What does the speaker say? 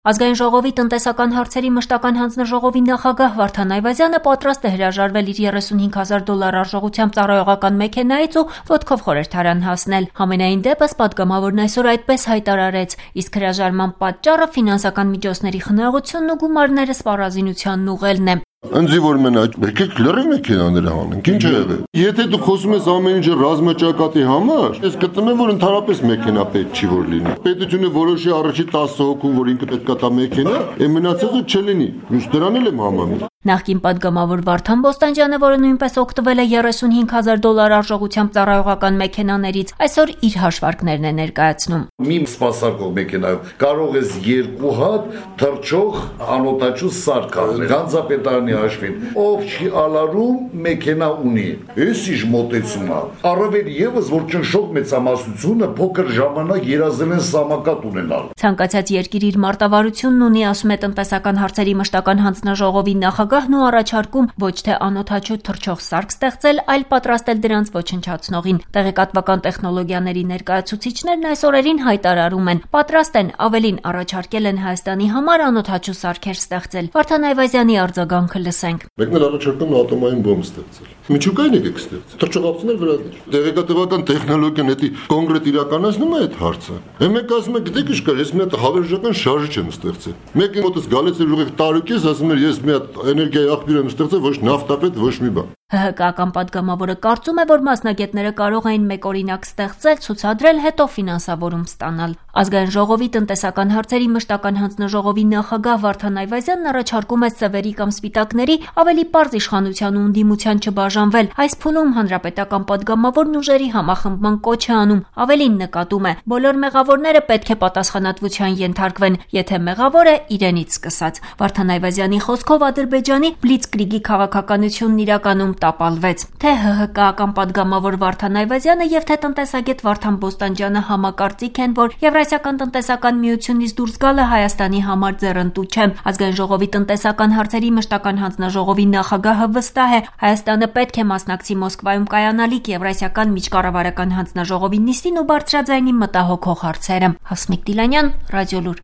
Ազգային ժողովի տնտեսական հարցերի մշտական հանձնաժողովի նախագահ Վարդան Այվազյանը պատրաստ է հրաժարվել իր $35,000 արժողությամբ ծառայողական մեքենայից ու ոտքով խորհրդարան հասնել։ Համենայն դեպս պատգամավորն այսօր այդպես հայտարարեց, իսկ հրաժարման պատճառը ֆինանսական միջոցների խնայողությունն ու գումարները սպառազինությանն ուղղելն է։ Ընձի որ մենակ եկեք լրիվ մեքենաները հանենք, ինչ է եղել։ Եթե դու խոսում ես ամեն ինչը ռազմաճակատի համար, ես գտնում եմ որ ընդհանրապես մեքենա պետք չի որ լինի։ Պետությունը որոշի առաջի 10 հոգուն, որ ինքը պետք է տա մեքենա, մնացածը չլինի։ Միշտ դրան էլ եմ համաձայն։ Նախկին պատգամավոր Վարդան Բոստանջյանը, որը նույնպես օգտվել է $35,000 արժողությամբ ծառայողական մեքենաներից, այսօր իր հաշվարկներն է ներկայացնում։ Մի սպասարկող մեքենայով կարող ես 2 հատ թռչող անօտաչու սարք անել։ Գանձապետարանի հաշվին, ով չի ալարում մեքենա ունի։ Էս ինչ մոտեցում է։ Առավել եւս որ ճնշող մեծամասնությունը փոքր ժամանակ երազել են սամակատ ունենալ։ Ցանկացած երկիր իր մարտավարությունն ունի, ասում է տնտեսական հարցերի մշտական հանձնաժողովի նախագահն ու առաջարկում ոչ թե անօդաչու թռչող սարք ստեղծել, այլ պատրաստել դրանց ոչնչացնողին։ Տեղեկատվական տեխնոլոգիաների ներկայացուցիչներն այս օրերին հայտարարում են, պատրաստ են, ավելին առաջարկել են Հայաստանի համար անօդաչու սարքեր ստեղծել։ Վարդան Այվազյանի արձագանքը լսենք։ Մեկն էլ առաջարկում ատոմային բոմբ ստեղծել։ Միջուկային եկեք ստեղծել։ Թռչողացնել վրա դեր։ Տեղեկատվական տեխնոլոգիան էդի կոնկրետ իրականացնում է այդ հարցը։ Մեկ ասում է, գիտեք ինչ կար, ես մի հատ հավերժական շարժիչ եմ ստեղծել։ Մեկը մոտս գալիս էր ուղիղ տարուկես, ասում էր, ես մի հատ էներգիայի աղբյուր եմ ստեղծել, ոչ նավթապետ, ոչ մի բան։ ՀՀԿ-ական պատգամավորը կարծում է, որ մասնագետները կարող էին մեկ օրինակ ստեղծել, ցուցադրել, հետո ֆինանսավորում ստանալ։ Ազգային ժողովի տնտեսական հարցերի մշտական հանձնաժողովի նախագահ Վարդան Այվազյանն առաջարկում է սևերի կամ սպիտակների ավելի պարզ իշխանության ու ընդդիմության չբաժանվել։ Այս փուլում հանրապետական պատգամավորն ուժերի համախմբման կոչ է անում, ավելին նկատում է, բոլոր մեղավորները պետք է պատասխանատվության ենթարկվեն, եթե մեղավոր է իրենից սկսած։ Վարդան Այվազյանի խոսքով Ադրբեջանի բլիցկրիգի քաղաքականությունն իրականում տապալվեց։ Թե ՀՀԿ-ական պատգամավոր Վարդան Այվազյանը եւ թե տնտեսագետ Վարդան Բոստանջյանը համակարծիք են, որ Եվրասիական տնտեսական միությունից դուրս գալը Հայաստանի համար ձեռնտու չէ։ Ազգային ժողովի տնտեսական հարցերի մշտական հանձնաժողովի նախագահը վստահ է, Հայաստանը պետք է մասնակցի Մոսկվայում կայանալիք Եվրասիական միջկառավարական հանձնաժողովի նիստին ու բարձրաձայնի մտահոգող հարցերը։ Հասմիկ Դիլանյան, Ռադիոլուր։